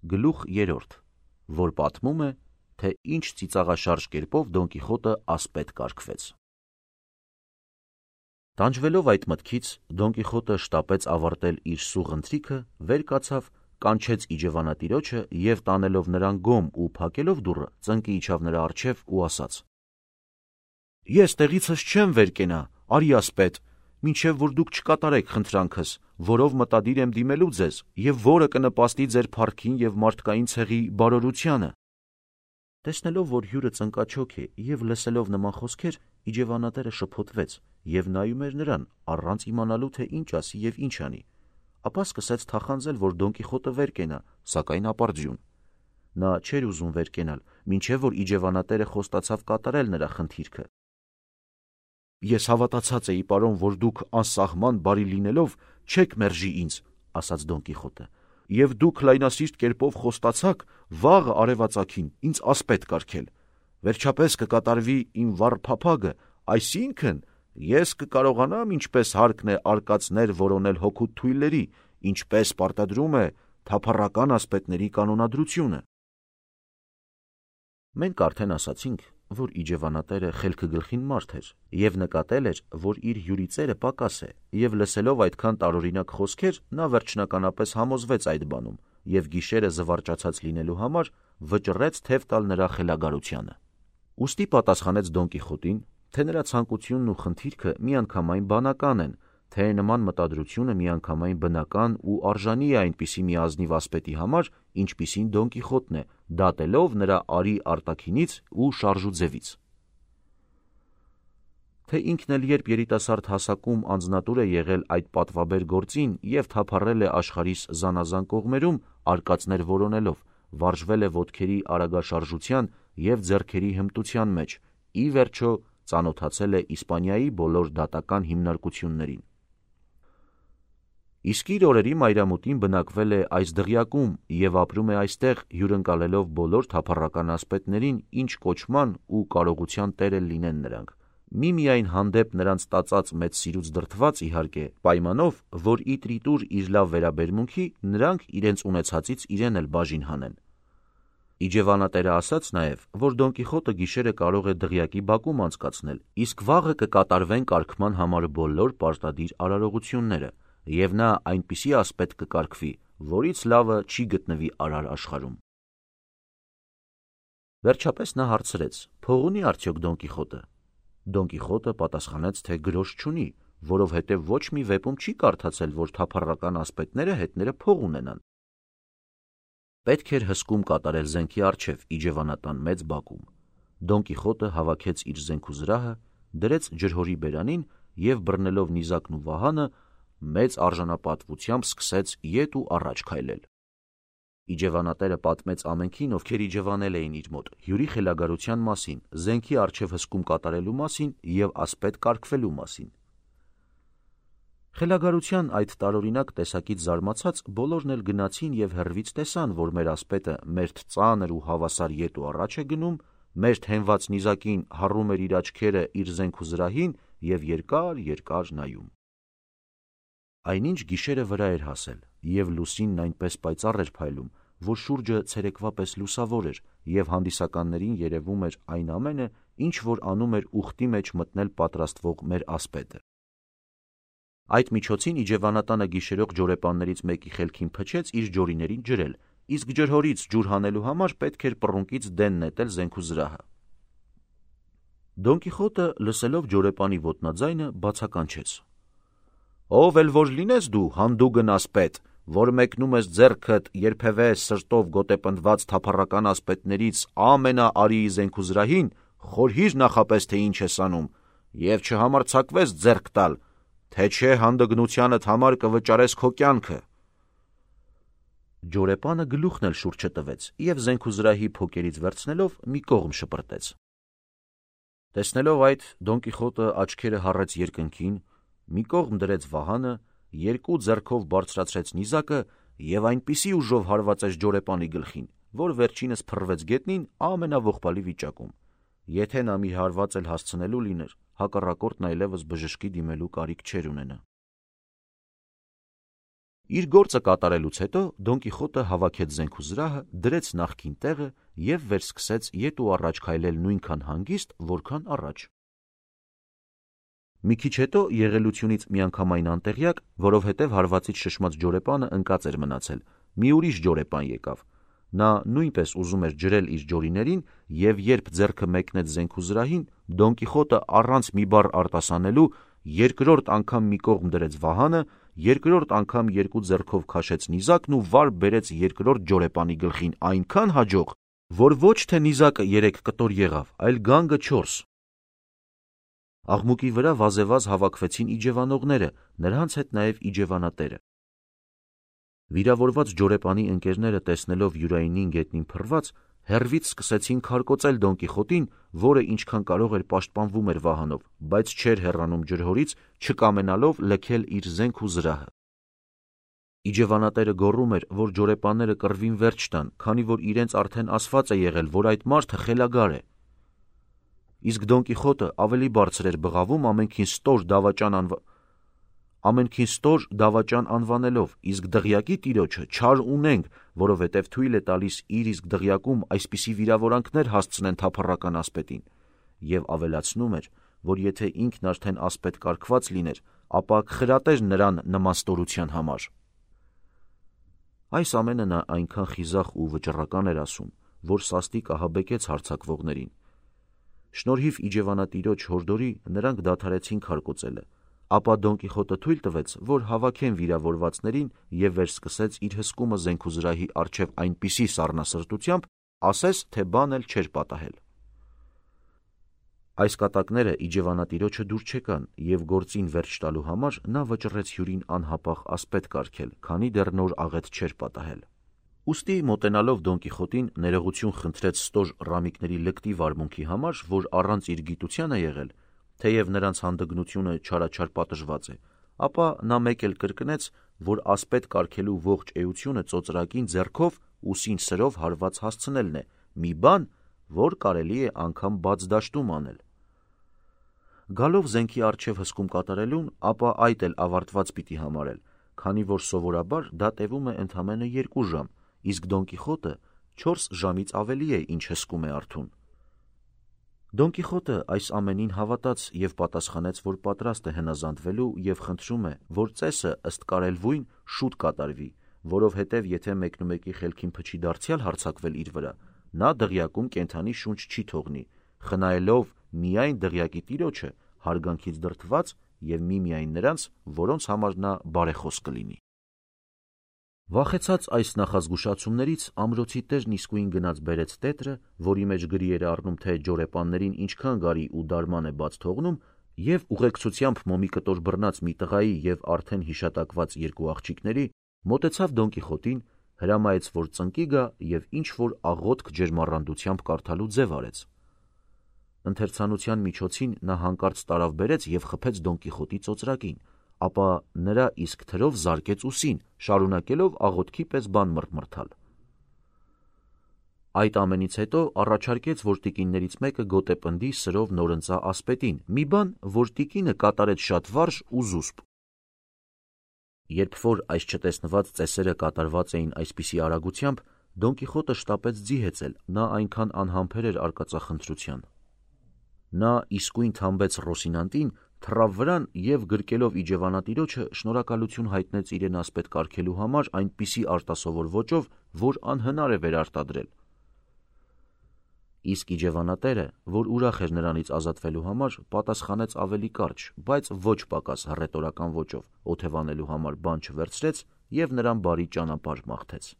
Գլուխ 3, որ պատմում է, թե ինչ ծիծաղաշարժ կերպով Դոն Կիխոտը ասպետ կարգվեց։ Տանջվելով այդ մտքից, Դոն Կիխոտը շտապեց ավարտել իր սուղ ընթրիքը, վեր կացավ, կանչեց իջևանատիրոջը և տանելով նրան գոմ ու փակելով դուռը, ծնկի իջավ նրա առջև ու ասաց. «Ես տեղիցս չեմ վեր կենա, արի ասպետ, մինչև որ դուք չկատարեք խնդրանքս, որով մտադիր եմ դիմելու ձեզ, և որը կնպաստի ձեր փառքին և մարդկային ցեղի բարօրությանը»։ Տեսնելով, որ հյուրը ծնկաչոք է և լսելով նման խոսքեր, իջևանատերը շփոթվեց և նայում էր նրան, առանց իմանալու, թե ինչ ասի և ինչ անի, ապա սկսեց թախանձել, որ Դոն Կիխոտը վեր կենա, սակայն ապարդյուն։ Նա չէր ուզում վեր կենալ, մինչև որ իջևանատերը խոստացավ կատարել նրա խնդիրքը։ «Ես հավատացած էի, պարոն, որ դուք անսահման բարի լինելով չեք մերժի ինձ», ասաց Դոն Կիխոտը, «և դուք լայնասիրտ կերպով խոստացաք վաղը արևածագին ինձ ասպետ կարգել։ Վերջապես կկատարվի իմ վառ փափագը, այսինքն ես կկարողանամ, ինչպես հարկն է, արկածներ որոնել հօգուտ թույլերի, ինչպես պարտադրում է թափառական ասպետների կանոնադրությունը»։ Մենք արդեն ասացինք, որ իջևանատերը խելքգլխին մարդ էր և նկատել էր, որ իր հյուրի ծերը պակաս է, և լսելով այդքան տարօրինակ խոսքեր, նա վերջնականապես համոզվեց այդ բանում և գիշերը զվարճացած լինելու համար վճռեց թև տալ նրա խելագարությանը։ Ուստի պատասխանեց Դոն Կիխոտին, թե նրա ցանկությունն ու խնդիրքը միանգամայն բանական են, թե նման մտադրությունը միանգամայն բնական ու արժանի է այնպիսի մի ազնիվ ասպետի համար, ինչպիսին Դոն Կիխոտն է, դատելով նրա արի արտաքինից ու շարժուձևից։ Թե ինքն էլ երբ երիտասարդ հասակում անձնատուր է եղել այդ պատվաբեր գործին և թափառել է աշխարհիս զանազան կողմերում, արկածներ որոնելով, վարժվել է ոտքերի արագաշարժության և ձեռքերի հմտության մեջ, ի վերջո ծանոթացել է Իսպանիայի բոլոր դատական հիմնարկություններին։ Իսկ իր օրերի մայրամուտին բնակվել է այս դղյակում և ապրում է այստեղ, հյուրընկալելով բոլոր թափառական ասպետներին, ինչ կոչման ու կարողության տեր էլ լինեն նրանք, միմիայն հանդեպ նրանց տածած մեծ սիրուց դրդված, իհարկե, պայմանով, որ իտրիտուր իր լավ վերաբերմունքի նրանք իրենց ունեցածից իրեն էլ բաժին հանեն։ Իջևանատերը ասաց նաև, որ Դոն Կիխոտը գիշերը կարող է դղյակի բակում անցկացնել, իսկ վաղը կկատարվեն կարգման համար բոլոր պարտադիր արարողությունները, և նա այնպիսի ասպետ կկարգվի, որից լավը չի գտնվի արար աշխարհում։ Վերջապես նա հարցրեց. «Փող ունի արդյոք Դոն Կիխոտը»։ Դոն Կիխոտը պատասխանեց, թե գրոշ չունի, որովհետև ոչ մի վեպում չի կարդացել, որ թափառական ասպետները հետները փող ունենան։ Պետք էր հսկում կատարել զենքի առջև իջևանատան մեծ բակում։ Դոն Կիխոտը հավաքեց իր զենքուզրահը, դրեց ջրհորի բերանին և բռնելով նիզակն ու վահանը, մեծ արժանապատվությամբ սկսեց ետ ու առաջ քայլել։ Իջևանատերը պատմեց ամենքին, ովքեր իջևանել էին իր մոտ, հյուրի խելագարության մասին, զենքի առջև հսկում կատարելու մասին և ասպետ կարգվելու մասին։ Խելագարության այդ տարօրինակ տեսակից զարմացած բոլորն էլ գնացին և հեռվից տեսան, որ մեր ասպետը մերթ ծանր ու հավասար ետ ու առաջ է գնում, մերթ հենված նիզակին հառում էր իր աչքերը իր զենքուզրահին և երկար նայում։ Այնինչ գիշերը վրա էր հասել, և լուսինն այնպես պայծառ էր փայլում, որ շուրջը ցերեկվա պես լուսավոր էր, և հանդիսականներին երևում էր այն ամենը, ինչ որ անում էր ուխտի մեջ մտնել պատրաստվող մեր ասպետը։ Այդ միջոցին իջևանատանը գիշերող ջորեպաններից մեկի խելքին փչեց իր ջորիներին ջրել, իսկ ջրհորից ջուր հանելու համար պետք էր պռունկից դեն նետել զենքուզրահը։ Դոն Կիխոտը, լսելով ջորեպանի ոտնաձայնը, բացականչեց. «Ով էլ որ լինես դու, հանդուգն ասպետ, որ մեկնում ես ձեռքդ երբևէ սրտով գոտեպնդված թափառական ասպետներից ամենաարիի զենքուզրահին, խորհիր նախապես, թե ինչ ես անում, և չհամարձակվես ձեռք տալ, թե չէ հանդգնությանդ համար կվճարես քո կյանքը»։ Ջորեպանը գլուխն էլ շուռ չտվեց և զենքուզրահի փոկերից վերցնելով մի կողմ շպրտեց։ Տեսնելով այդ, Դոն Կիխոտը աչքերը հառեց երկնքին, մի կողմ դրեց վահանը, երկու ձեռքով բարձրացրեց նիզակը և այնպիսի ուժով հարվածեց ջորեպանի գլխին, որ վերջինս փռվեց գետնին ամենաողբալի վիճակում։ Եթե նա մի հարված էլ հասցնելու լիներ, հակառակորդն այլևս բժշկի դիմելու կարիք չէր ունենա։ Իր գործը կատարելուց հետո Դոն Կիխոտը հավաքեց զենք ու զրահը, դրեց նախկին տեղը և վերսկսեց ետ ու առաջ քայլել նույնքան հանգիստ, որքան առաջ։ Մի քիչ հետո եղելությունից միանգամայն անտեղյակ, որովհետև հարվածից շշմած ջորեպանը ընկած էր մնացել, մի ուրիշ ջորեպան եկավ։ Նա նույնպես ուզում էր ջրել իր ջորիներին, և երբ ձեռքը մեկնեց զենք ու զրահին, Դոն Կիխոտը առանց մի բառ արտասանելու երկրորդ անգամ մի կողմ դրեց վահանը, երկրորդ անգամ երկու ձեռքով քաշեց նիզակն ու վար բերեց երկրորդ ջորեպանի գլխին այնքան հաջող, որ ոչ թե նիզակը 3 կտոր եղավ, այլ գանգը 4։ Աղմուկի վրա վազեվազ հավաքվեցին իջևանողները, նրանց հետ նաև իջևանատերը։ Վիրավորված ջորեպանի ընկերները տեսնելով Յուրայինին գետնին փռված, հեռվից սկսեցին քարկոծել Դոն Կիխոտին, որը ինչքան կարող էր պաշտպանվում էր վահանով, բայց չէր հեռանում ջրհորից, չկամենալով լքել իր զենք ու զրահը։ Իջևանատերը գոռում էր, որ ջորեպանները կռվին վերջ տան, քանի որ իրենց արդեն ասված է եղել, որ այդ մարդը խելագար է։ Իսկ Դոն Կիխոտը ավելի բարձր էր բղավում ամենքին ստոր դավաճան անվանելով, իսկ դղյակի տիրոջը չար ունենք, որովհետև թույլ է տալիս իր իսկ դղյակում այսպիսի վիրավորանքներ հասցնեն թափառական ասպետին, և ավելացնում էր, որ եթե ինքն արդեն ասպետ կարգված լիներ, ապա կխրատեր նրան նման ստորության համար։ Այս ամենը նա այնքան խիզախ ու վճռական էր ասում, որ սաստիկ ահաբեկեց հարձակվողներին։ Շնորհիվ իջևանատիրոջ հորդորի նրանք դադարեցին քարկոծելը, ապա Դոն Կիխոտը թույլ տվեց, որ հավաքեն վիրավորվածներին և վերսկսեց իր հսկումը զենք ու զրահի առջև այնպիսի սառնասրտությամբ, ասես թե բան էլ չէր պատահել։ Այս կատակները իջևանատիրոջը դուր չեկան, և գործին վերջ տալու համար նա վճռեց հյուրին անհապաղ ասպետ կարգել, քանի դեռ նոր աղետ չէր պատահել։ Ուստի մոտենալով Դոն Կիխոտին ներողություն խնդրեց ստոր ռամիկների լկտի վարմունքի համար, որ առանց իր գիտության է եղել, թեև նրանց հանդգնությունը չարաչար պատժված է, ապա նա մեկ էլ կրկնեց, որ ասպետ կարգելու ողջ էությունը ծոծրակին ձեռքով ուսին սրով հարված հասցնելն է, մի բան, որ կարելի է անգամ բաց դաշտում անել։ Գալով զենքի առջև հսկում կատարելուն, ապա այդ էլ ավարտված պիտի համարել, քանի որ սովորաբար դա տևում է ընդամենը 2 ժամ, իսկ Դոն Կիխոտը 4 ժամից ավելի է, ինչ հսկում է արթուն։ Դոն Կիխոտը այս ամենին հավատաց և պատասխանեց, որ պատրաստ է հնազանդվելու և խնդրում է, որ ծեսը ըստ կարելվույն շուտ կատարվի, որովհետև եթե մեկնումեկի խելքին փչի դարձյալ հարձակվել իր վրա, նա դղյակում կենդանի շունչ չի թողնի, խնայելով միայն դղյակի տիրոջը, հարգանքից դրդված և միմիայն նրանց, որոնց համար նա բարեխոս կլինի։ Վախեցած այս նախազգուշացումներից ամրոցի տերն իսկույն գնաց բերեց տետրը, որի մեջ գրի էր առնում, թե ջորեպաններին ինչքան գարի ու դարման է բաց թողնում, և ուղեկցությամբ մոմի կտոր բռնած մի տղայի և արդեն հիշատակված 2 աղջիկների, մոտեցավ Դոն Կիխոտին, հրամայեց, որ ծնկի գա և ինչ-որ աղոթք ջերմառանդությամբ կարդալու ձև արեց։ Ընթերցանության միջոցին նա հանկարծ տարավ բերեց և խփեց Դոն Կիխոտի ծոծրակին, ապա նրա իսկ թրով զարկեց ուսին, շարունակելով աղոթքի պես բան մռթմռթալ։ Այդ ամենից հետո առաջարկեց, որ տիկիններից մեկը գոտեպնդի սրով նորընծա ասպետին, մի բան, որ տիկինը կատարեց շատ վարժ ու զուսպ։ Երբ որ այս չտեսնված ծեսերը կատարված էին այսպիսի արագությամբ, Դոն Կիխոտը շտապեց ձի հեծել, նա այնքան անհամբեր էր արկածախնդրության։ Նա իսկույն թամբեց Ռոսինանտին, թռավ վրան և գրկելով իջևանատիրոջը շնորհակալություն հայտնեց իրեն ասպետ կարգելու համար այնպիսի արտասովոր ոճով, որ անհնար է վերարտադրել։ Իսկ իջևանատերը, որ ուրախ էր նրանից ազատվելու համար, պատասխանեց ավելի կարճ, բայց ոչ պակաս հռետորական ոճով, օթևանելու համար բան չվերցրեց և նրան բարի ճանապարհ մաղթեց։